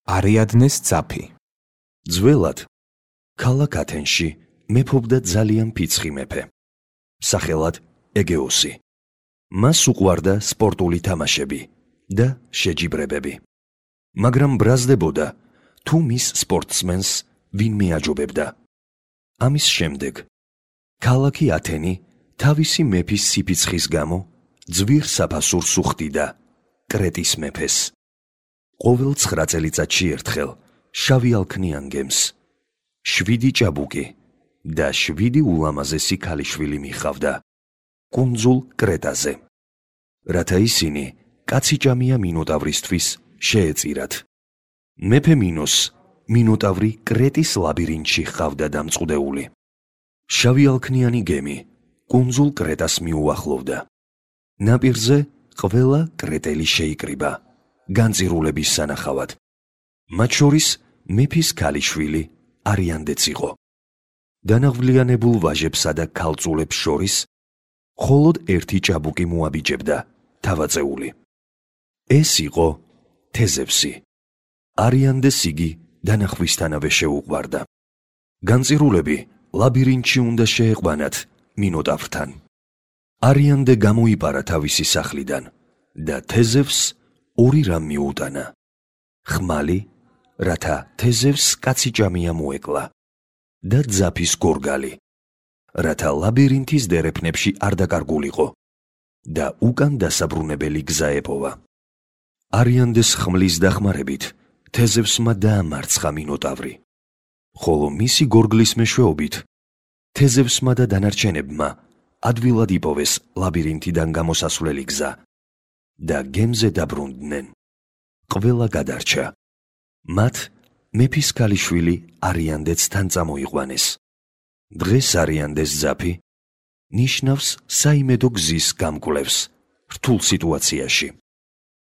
არიადნეს ძაფი. ძველად, ქალაქ ათენში მეფობდა ძალიან ფიცხი მეფე, სახელად ეგეოსი. მას უყვარდა სპორტული თამაშები და შეჯიბრებები. მაგრამ ბრაზდებოდა, თუ მის სპორტსმენს ვინმე აჯობებდა. ამის შემდეგ, ქალაქი ათენი თავისი მეფის სიფიცხის გამო ძვირ საფასურს უხდიდა კრეტის მეფეს. ყოველ 9 წელიწადში ერთხელ შავი ალქნიან გემს 7 ჭაბუკი და 7 ულამაზესი ქალიშვილი მიჰყავდა კუნძულ კრეტაზე, რათა ისინი კაციჭამია მინოტავრისთვის შეეწირათ. მეფე მინოს მინოტავრი კრეტის ლაბირინთში ჰყავდა დამწყვდეული. შავი ალქნიანი გემი კუნძულ კრეტას მიუახლოვდა. ნაპირზე ყველა კრეტელი შეიკრიბა განწირულების სანახავად. მათ შორის მეფის ქალიშვილი არიანდეც იყო. დანაღვლიანებულ ვაჟებსა და ქალწულებს შორის მხოლოდ ერთი ჭაბუკი მოაბიჯებდა თავაწეული. ეს იყო თეზევსი. არიანდეს იგი დანახვისთანავე შეუყვარდა. განწირულები ლაბირინთში უნდა შეეყვანათ მინოტავრთან. არიანდე გამოიპარა თავისი სახლიდან და თეზევსს ორი რამ მიუტანა: ხმალი, რათა თეზევსს კაციჭამია მოეკლა, და ძაფის გორგალი, რათა ლაბირინთის დერეფნებში არ დაკარგულიყო და უკან დასაბრუნებელი გზა ეპოვა. არიანდეს ხმლის დახმარებით თეზევსმა დაამარცხა მინოტავრი, ხოლო მისი გორგლის მეშვეობით თეზევსმა და დანარჩენებმა ადვილად იპოვეს ლაბირინთიდან გამოსასვლელი გზა და გემზე დაბრუნდნენ. ყველა გადარჩა. მათ მეფის ქალიშვილი არიანდეც თან წამოიყვანეს. დღეს არიანდეს ძაფი ნიშნავს საიმედო გზის გამკვლევს რთულ სიტუაციაში.